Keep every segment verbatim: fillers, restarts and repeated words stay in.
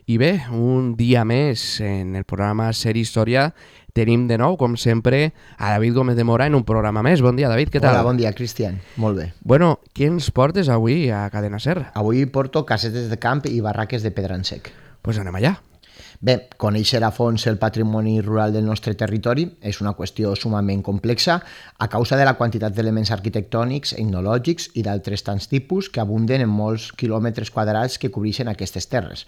I bé, un dia més en el programa Ser Història tenim de nou, com sempre, a David Gómez de Mora en un programa més. Bon dia, David, què tal? Hola, bon dia, Cristian. Molt bé. Bueno, què ens portes avui a Cadena Ser? Avui porto casetes de camp i barraques de pedra en sec. Doncs pues anem allà. Bé, conèixer a fons el patrimoni rural del nostre territori és una qüestió sumament complexa a causa de la quantitat d'elements arquitectònics, etnològics i d'altres tants tipus que abunden en molts quilòmetres quadrats que cobreixen aquestes terres.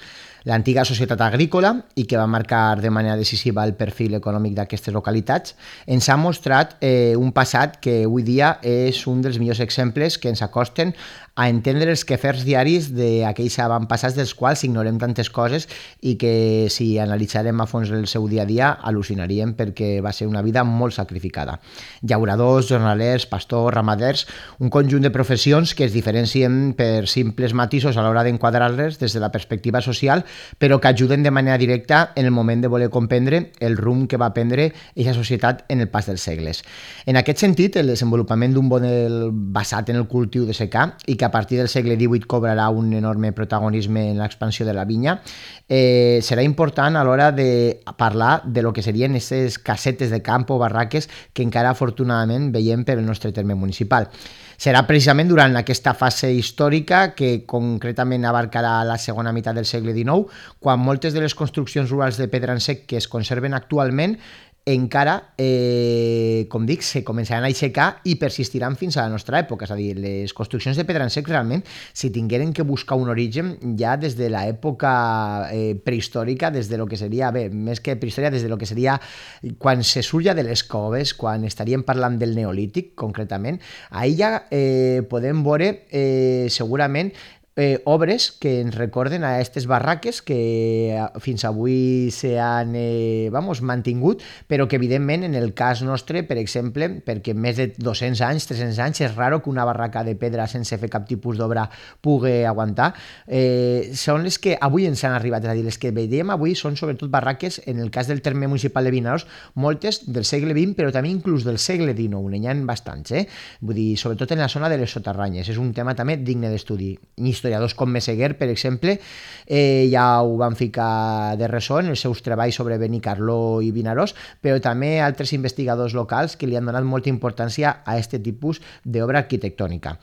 L'antiga societat agrícola, i que va marcar de manera decisiva el perfil econòmic d'aquestes localitats, ens ha mostrat eh, un passat que avui dia és un dels millors exemples que ens acosten a entendre els quefers diaris d'aquells avantpassats dels quals ignorem tantes coses i que si analitzarem a fons el seu dia a dia al·lucinaríem perquè va ser una vida molt sacrificada. Llauradors, jornalers, pastors, ramaders, un conjunt de professions que es diferencien per simples matisos a l'hora d'enquadrar-les des de la perspectiva social, però que ajuden de manera directa en el moment de voler comprendre el rumb que va prendre aquesta societat en el pas dels segles. En aquest sentit, el desenvolupament d'un model basat en el cultiu de secà i que a partir del segle divuit cobrarà un enorme protagonisme en l'expansió de la vinya, eh, serà important a l'hora de parlar de lo que serien aquestes casetes de camp o barraques que encara afortunadament veiem per el nostre terme municipal. Serà precisament durant aquesta fase històrica, que concretament abarcarà la segona meitat del segle dinou, quan moltes de les construccions rurals de pedra en sec que es conserven actualment encara, eh, com dic, se començaran a aixecar i persistiran fins a la nostra època. És a dir, les construccions de pedra en sec realment, si tingueren que buscar un origen ja des de l'època eh, prehistòrica, des de lo que seria, bé, més que prehistòria, des de lo que seria quan se surt ja de les coves, quan estaríem parlant del Neolític, concretament, ahir ja eh, podem veure eh, segurament Eh, obres que ens recorden a aquestes barraques que fins avui s'han eh, vamos, mantingut, però que evidentment en el cas nostre, per exemple, perquè més de dos-cents anys, tres-cents anys, és raro que una barraca de pedra sense fer cap tipus d'obra pugui aguantar, eh, són les que avui ens han arribat. És a dir, les que veiem avui són sobretot barraques, en el cas del terme municipal de Vinaròs, moltes del segle vint, però també inclús del segle dinou, n'hi ha bastants, eh? Vull dir, sobretot en la zona de les soterranyes. És un tema també digne d'estudi. Historiadors com Meseguer, per exemple, eh, ja ho van ficar de ressò en els seus treballs sobre Benicarló i Vinaròs, però també altres investigadors locals que li han donat molta importància a aquest tipus d'obra arquitectònica.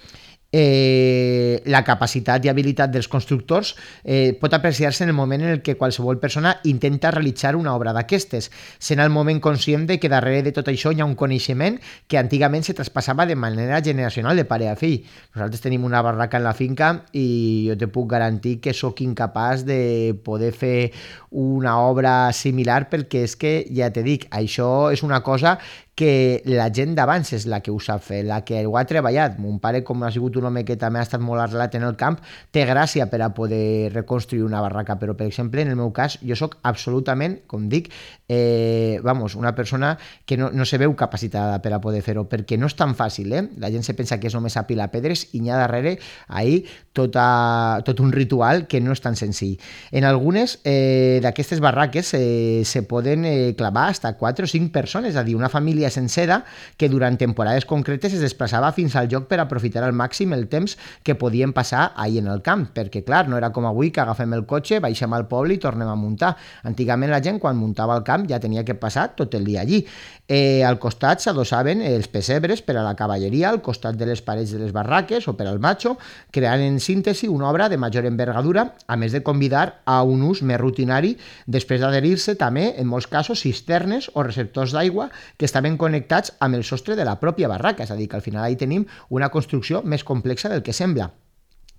Eh, la capacitat i habilitat dels constructors eh, pot apreciar-se en el moment en el que qualsevol persona intenta realitzar una obra d'aquestes, sent el moment conscient de que darrere de tot això hi ha un coneixement que antigament se traspassava de manera generacional de pare a fill. Nosaltres tenim una barraca en la finca i jo te puc garantir que sóc incapaç de poder fer una obra similar, perquè és que, ja te dic, això és una cosa que la gent d'abans és la que ho sap fer, la que ho ha treballat. Mon pare, com ha sigut un home que també ha estat molt arrelat en el camp, té gràcia per a poder reconstruir una barraca, però, per exemple, en el meu cas, jo sóc absolutament, com dic, eh, vamos, una persona que no, no se veu capacitada per a poder fer-ho, perquè no és tan fàcil, eh? La gent se pensa que és només apilar pedres i n'hi ha darrere ahir tota, tot un ritual que no és tan senzill. En algunes eh, d'aquestes barraques eh, se poden eh, clavar hasta quatre o cinc persones, és a dir, una família sencera que durant temporades concretes es desplaçava fins al lloc per aprofitar al màxim el temps que podien passar ahir en el camp, perquè clar, no era com avui que agafem el cotxe, baixem al poble i tornem a muntar. Antigament la gent quan muntava al camp ja tenia que passar tot el dia allí. Eh, al costat s'adossaven els pessebres per a la cavalleria, al costat de les parets de les barraques o per al matxo, creant en síntesi una obra de major envergadura, a més de convidar a un ús més rutinari, després d'adherir-se també, en molts casos, cisternes o receptors d'aigua que estaven connectats amb el sostre de la pròpia barraca, és a dir, que al final ahí tenim una construcció més complexa del que sembla.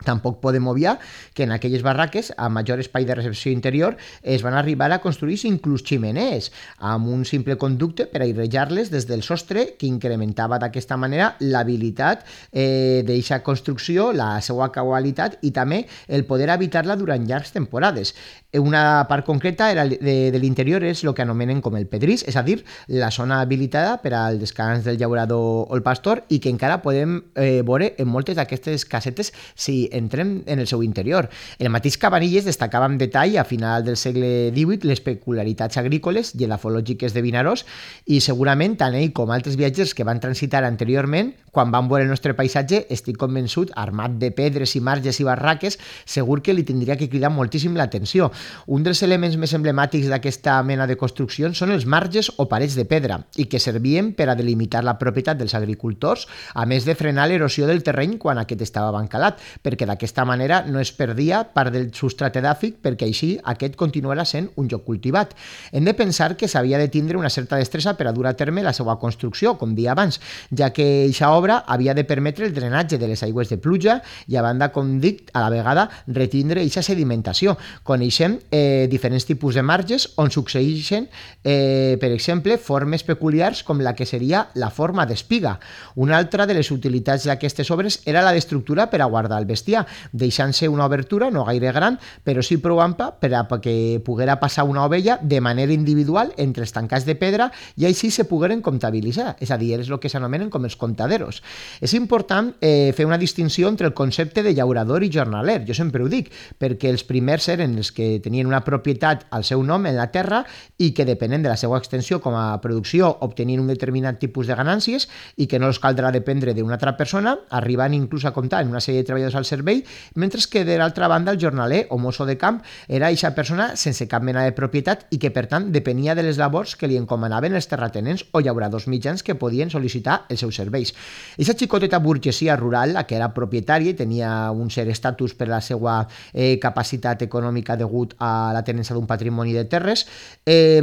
Tampoc podem obviar que en aquelles barraques, a major espai de recepció interior, es van arribar a construir inclús ximeners, amb un simple conducte per airejar-les des del sostre, que incrementava d'aquesta manera l'habilitat eh, d'aquesta construcció, la seva qualitat i també el poder habitar-la durant llargs temporades. Una part concreta era de, de l'interior és el que anomenen com el pedrís, és a dir, la zona habilitada per al descans del llaurador o el pastor i que encara podem eh, veure en moltes d'aquestes casetes si entrem en el seu interior. El mateix Cabanilles destacava amb detall a final del segle divuit les peculiaritats agrícoles i edafològiques de Vinaròs i segurament tant ell com altres viatgers que van transitar anteriorment, quan van veure el nostre paisatge, estic convençut, armat de pedres i marges i barraques, segur que li tindria que cridar moltíssim l'atenció. Un dels elements més emblemàtics d'aquesta mena de construccions són els marges o parets de pedra i que servien per a delimitar la propietat dels agricultors, a més de frenar l'erosió del terreny quan aquest estava bancalat, perquè d'aquesta manera no es perdia part del substrat edàfic perquè així aquest continuarà sent un lloc cultivat. Hem de pensar que s'havia de tindre una certa destresa per a dur a terme la seva construcció, com dia abans, ja que aquesta obra havia de permetre el drenatge de les aigües de pluja i a banda, com dic, a la vegada retindre aquesta sedimentació. Coneixem eh, diferents tipus de marges on succeeixen, eh, per exemple, formes peculiars com la que seria la forma d'espiga. Una altra de les utilitats d'aquestes obres era la d'estructura per a guardar el bestiar, deixant-se una obertura no gaire gran, però sí prou ampla per a que poguera passar una ovella de manera individual entre els tancats de pedra i així se pogueren comptabilitzar, és a dir, és el que s'anomenen com els comptaderos. És important eh, fer una distinció entre el concepte de llaurador i jornaler, jo sempre ho dic, perquè els primers eren els que tenien una propietat al seu nom en la terra i que depenent de la seva extensió com a producció obtenien un determinat tipus de ganàncies i que no els caldrà dependre d'una altra persona, arribant inclús a comptar en una sèrie de treballadors al servei, mentre que de l'altra banda el jornaler o mosso de camp era aquesta persona sense cap mena de propietat i que per tant depenia de les labors que li encomanaven els terratenents o llauradors mitjans que podien sol·licitar els seus serveis. Aquesta xicoteta burgesia rural, la que era propietària i tenia un cert estatus per la seva eh, capacitat econòmica degut a la tenença d'un patrimoni de terres, eh,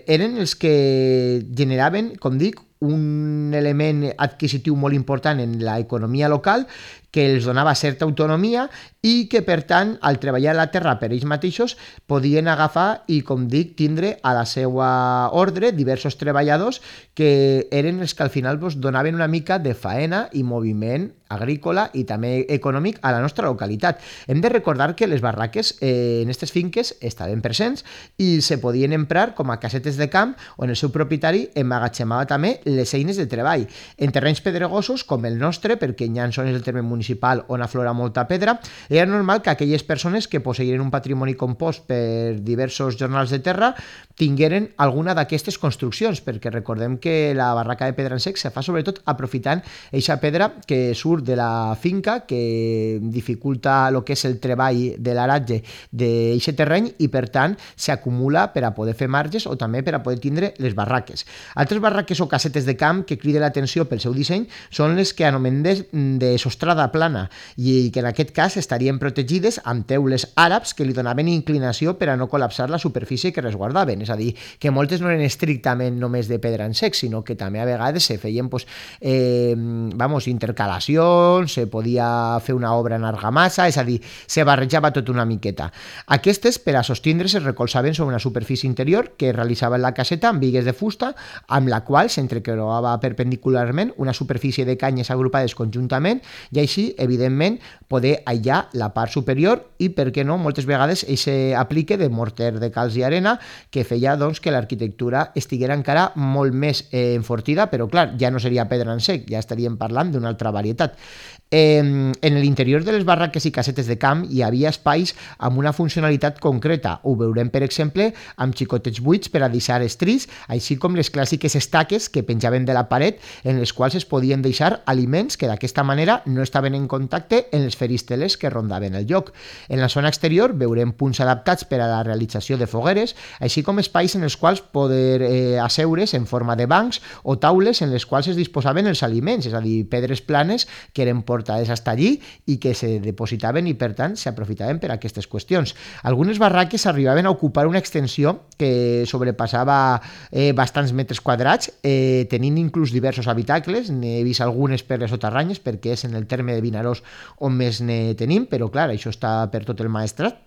eren els que generaven, com dic, un element adquisitiu molt important en l'economia local que els donava certa autonomia i que, per tant, al treballar la terra per ells mateixos, podien agafar i, com dic, tindre a la seva ordre diversos treballadors que eren els que al final doncs, donaven una mica de faena i moviment agrícola i també econòmic a la nostra localitat. Hem de recordar que les barraques eh, en aquestes finques estaven presents i se podien emprar com a casetes de camp on el seu propietari emmagatzemava també les eines de treball. En terrenys pedregosos com el nostre, perquè Nyanson és el terme municipal on aflora molta pedra, era normal que aquelles persones que posseïren un patrimoni compost per diversos jornals de terra tingueren alguna d'aquestes construccions, perquè recordem que la barraca de pedra en sec se fa sobretot aprofitant aquesta pedra que surt de la finca, que dificulta el que és el treball de l'aratge d'aquest terreny i per tant s'acumula per a poder fer marges o també per a poder tindre les barraques. Altres barraques o casetes de camp que criden l'atenció pel seu disseny són les que anomenem de, de sostrada plana i que en aquest cas estarien protegides amb teules àrabs que li donaven inclinació per a no col·lapsar la superfície que resguardaven, és a dir, que moltes no eren estrictament només de pedra en sec, sinó que també a vegades se feien pues, eh, vamos, intercalacions, se podia fer una obra en argamassa, és a dir, se barrejava tot una miqueta. Aquestes, per a sostindre's, es recolzaven sobre una superfície interior que realitzaven la caseta amb bigues de fusta, amb la qual s'entrecreuava perpendicularment una superfície de canyes agrupades conjuntament i així, evidentment, poder aïllar la part superior i, per què no, moltes vegades aquest aplique de morter de calç i arena que feia doncs, que l'arquitectura estiguera encara molt més eh, enfortida, però clar, ja no seria pedra en sec, ja estaríem parlant d'una altra varietat. Eh, en l'interior de les barraques i casetes de camp hi havia espais amb una funcionalitat concreta. Ho veurem, per exemple, amb xicotets buits per a deixar estris, així com les clàssiques estaques que penjaven de la paret en les quals es podien deixar aliments que d'aquesta manera no estaven en contacte en les feristeles que rondaven el lloc. En la zona exterior veurem punts adaptats per a la realització de fogueres, així com espais en els quals poder eh, asseure's en forma de bancs o taules en les quals es disposaven els aliments, és a dir, pedres planes que eren portades hasta allí i que se depositaven i per tant s'aprofitaven per a aquestes qüestions. Algunes barraques arribaven a ocupar una extensió que sobrepassava eh, bastants metres quadrats, eh, tenint inclús diversos habitacles, n'he vist algunes per les soterranyes perquè és en el terme de Vinaròs on més ne tenim, però clar, això està per tot el Maestrat.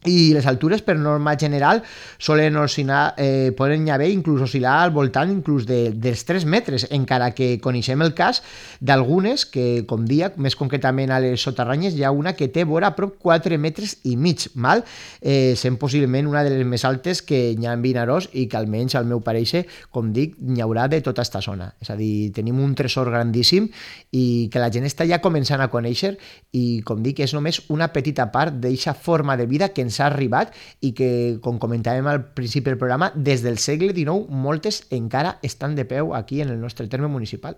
i les altures per norma general solen oscil·lar, eh, poden haver inclús oscil·lar al voltant inclús de, dels tres metres, encara que coneixem el cas d'algunes que, com dia, més concretament a les soterranyes, hi ha una que té vora a prop quatre metres i mig, mal? Eh, sent possiblement una de les més altes que hi ha en Vinaròs i que almenys al meu pareixer, com dic, n'hi haurà de tota esta zona. És a dir, tenim un tresor grandíssim i que la gent està ja començant a conèixer i, com dic, és només una petita part d'eixa forma de vida que ens ha arribat i que, com comentàvem al principi del programa, des del segle dinou moltes encara estan de peu aquí en el nostre terme municipal.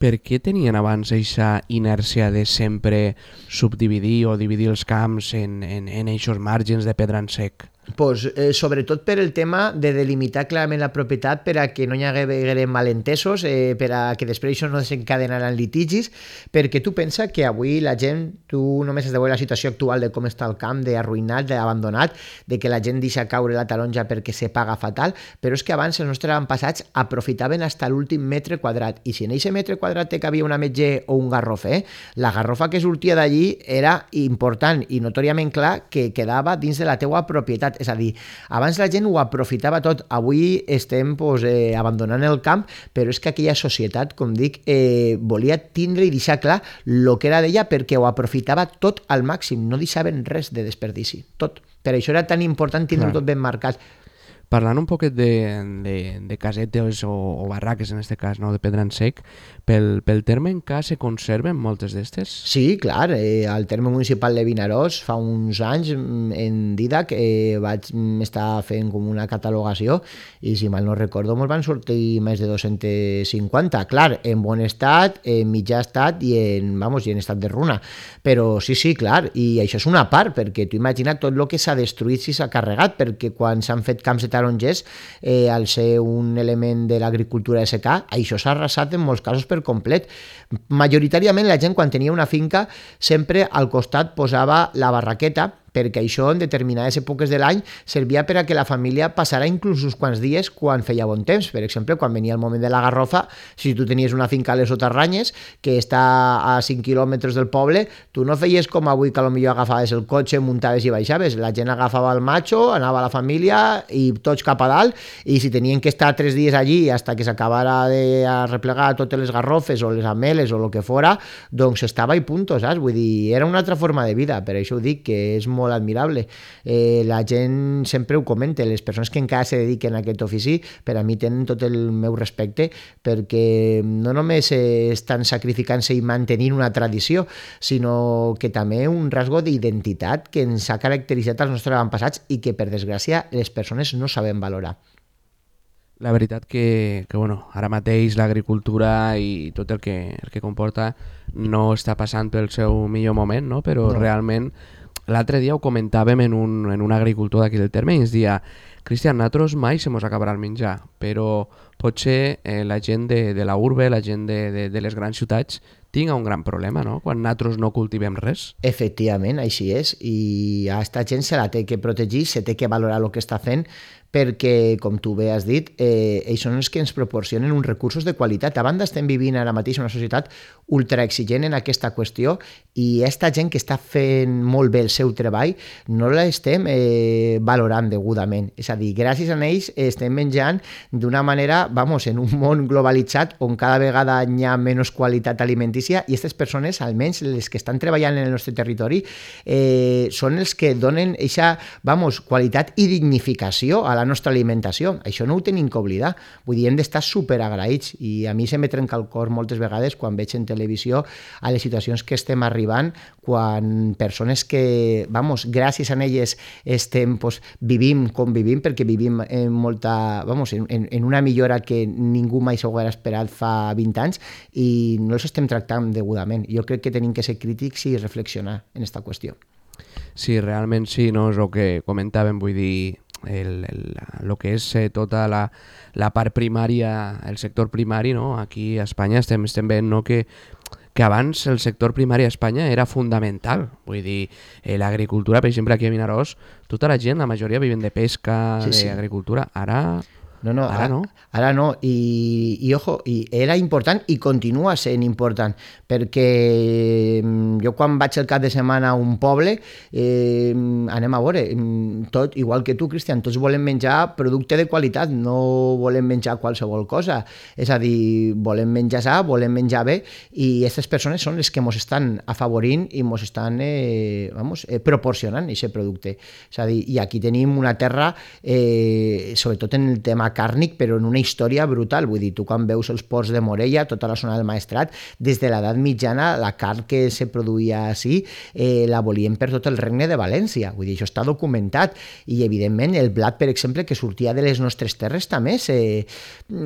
Per què tenien abans aquesta inèrcia de sempre subdividir o dividir els camps en, en, en eixos marges de pedra en sec? Pues, eh, sobretot per el tema de delimitar clarament la propietat per a que no hi hagués malentesos, eh, per a que després això no desencadenaran litigis, perquè tu pensa que avui la gent, tu només has de veure la situació actual de com està el camp, d'arruïnat, d'abandonat, de que la gent deixa caure la taronja perquè se paga fatal, però és que abans els nostres avantpassats aprofitaven fins a l'últim metre quadrat, i si en aquest metre quadrat te cabia una metge o un garrof, eh, la garrofa que sortia d'allí era important i notòriament clar que quedava dins de la teua propietat. És a dir, abans la gent ho aprofitava tot, avui estem pues, eh, abandonant el camp, però és que aquella societat, com dic, eh, volia tindre i deixar clar el que era d'ella perquè ho aprofitava tot al màxim, no deixaven res de desperdici, tot. Per això era tan important tindre-ho tot ben marcat. Parlant un poquet de, de, de casetes o, o barraques, en aquest cas, no? De pedra en sec, pel, pel terme encara se conserven moltes d'estes? Sí, clar, eh, al terme municipal de Vinaròs fa uns anys en Didac eh, vaig estar fent com una catalogació i si mal no recordo mos van sortir més de dos-cents cinquanta, clar, en bon estat, en mitjà estat i en, vamos, i en estat de runa, però sí, sí, clar, i això és una part, perquè tu imagina't tot el que s'ha destruït si s'ha carregat, perquè quan s'han fet camps de tarongers, eh, al ser un element de l'agricultura de secà, això s'ha arrasat en molts casos per complet. Majoritàriament la gent quan tenia una finca sempre al costat posava la barraqueta, perquè això en determinades èpoques de l'any servia per a que la família passara inclús uns quants dies quan feia bon temps. Per exemple, quan venia el moment de la garrofa, si tu tenies una finca a les Soterranyes que està a cinc quilòmetres del poble, tu no feies com avui que potser agafaves el cotxe, muntaves i baixaves. La gent agafava el macho, anava a la família i tots cap a dalt, i si tenien que estar tres dies allí hasta que s'acabara de replegar totes les garrofes o les ameles o el que fora, doncs estava i punto, saps? Vull dir, era una altra forma de vida, per això ho dic, que és molt molt admirable. Eh, la gent sempre ho comenta, les persones que encara se dediquen a aquest ofici, per a mi tenen tot el meu respecte, perquè no només estan sacrificant-se i mantenint una tradició, sinó que també un rasgo d'identitat que ens ha caracteritzat als nostres avantpassats i que, per desgràcia, les persones no saben valorar. La veritat que, que bueno, ara mateix l'agricultura i tot el que, el que comporta no està passant pel seu millor moment, no? Però no. Realment l'altre dia ho comentàvem en un, en un agricultor d'aquí del terme i ens deia: Cristian, nosaltres mai se mos acabarà el menjar, però potser eh, la gent de, de la urbe, la gent de, de, de les grans ciutats tinga un gran problema, no?, quan nosaltres no cultivem res. Efectivament, així és, i a aquesta gent se la té que protegir, se té que valorar el que està fent, perquè, com tu bé has dit, eh, ells són els que ens proporcionen uns recursos de qualitat. A banda, estem vivint ara mateix una societat ultraexigent en aquesta qüestió i aquesta gent que està fent molt bé el seu treball no l'estem eh, valorant degudament. És a dir, gràcies a ells estem menjant d'una manera, vamos, en un món globalitzat on cada vegada hi ha menys qualitat alimentícia i aquestes persones, almenys les que estan treballant en el nostre territori, eh, són els que donen aquesta, vamos, qualitat i dignificació a la nostra alimentació. Això no ho tenim que oblidar. Vull dir, hem d'estar superagraïts i a mi se me trenca el cor moltes vegades quan veig en televisió a les situacions que estem arribant, quan persones que, vamos, gràcies a elles estem, pues, vivim com vivim, perquè vivim en molta, vamos, en, en una millora que ningú mai s'ho haguera esperat fa vint anys i no els estem tractant degudament. Jo crec que tenim que ser crítics i reflexionar en aquesta qüestió. Sí, realment sí, no és el que comentàvem, vull dir, el, el, el que és eh, tota la, la part primària, el sector primari, no? Aquí a Espanya estem, estem veient, no?, que, que abans el sector primari a Espanya era fundamental. Vull dir, eh, l'agricultura, per exemple, aquí a Vinaròs, tota la gent, la majoria viven de pesca, sí, sí. d'agricultura. Ara... No, no, ara, ara no. Ara no, i, i ojo, i era important i continua sent important, perquè jo quan vaig el cap de setmana a un poble, eh, anem a veure, tot, igual que tu, Cristian, tots volem menjar producte de qualitat, no volem menjar qualsevol cosa. És a dir, volem menjar sa, volem menjar bé, i aquestes persones són les que ens estan afavorint i ens estan eh, vamos, eh, proporcionant aquest producte. És a dir, i aquí tenim una terra, eh, sobretot en el tema càrnic, però en una història brutal. Vull dir, tu quan veus els ports de Morella, tota la zona del Maestrat, des de l'edat mitjana, la carn que se produïa així, eh, la volien per tot el regne de València. Vull dir, això està documentat. I, evidentment, el blat, per exemple, que sortia de les nostres terres, també se,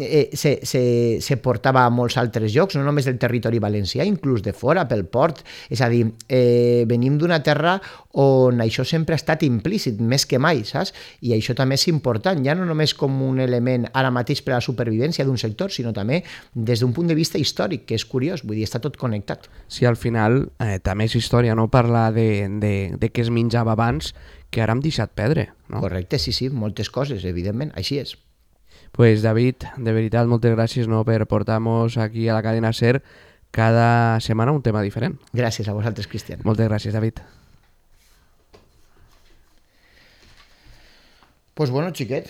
eh, se, se, se portava a molts altres llocs, no només del territori valencià, inclús de fora, pel port. És a dir, eh, venim d'una terra on això sempre ha estat implícit, més que mai, saps? I això també és important, ja no només com un element ara mateix per a la supervivència d'un sector, sinó també des d'un punt de vista històric, que és curiós, vull dir, està tot connectat. Sí, al final eh, també és història, no? Parlar de, de, de què es menjava abans, que ara hem deixat perdre, no? Correcte, sí, sí, moltes coses, evidentment, així és. Pues David, de veritat, moltes gràcies, no, per portar-nos aquí a la cadena SER cada setmana un tema diferent. Gràcies a vosaltres, Cristian. Moltes gràcies, David. Pues bueno, xiquet,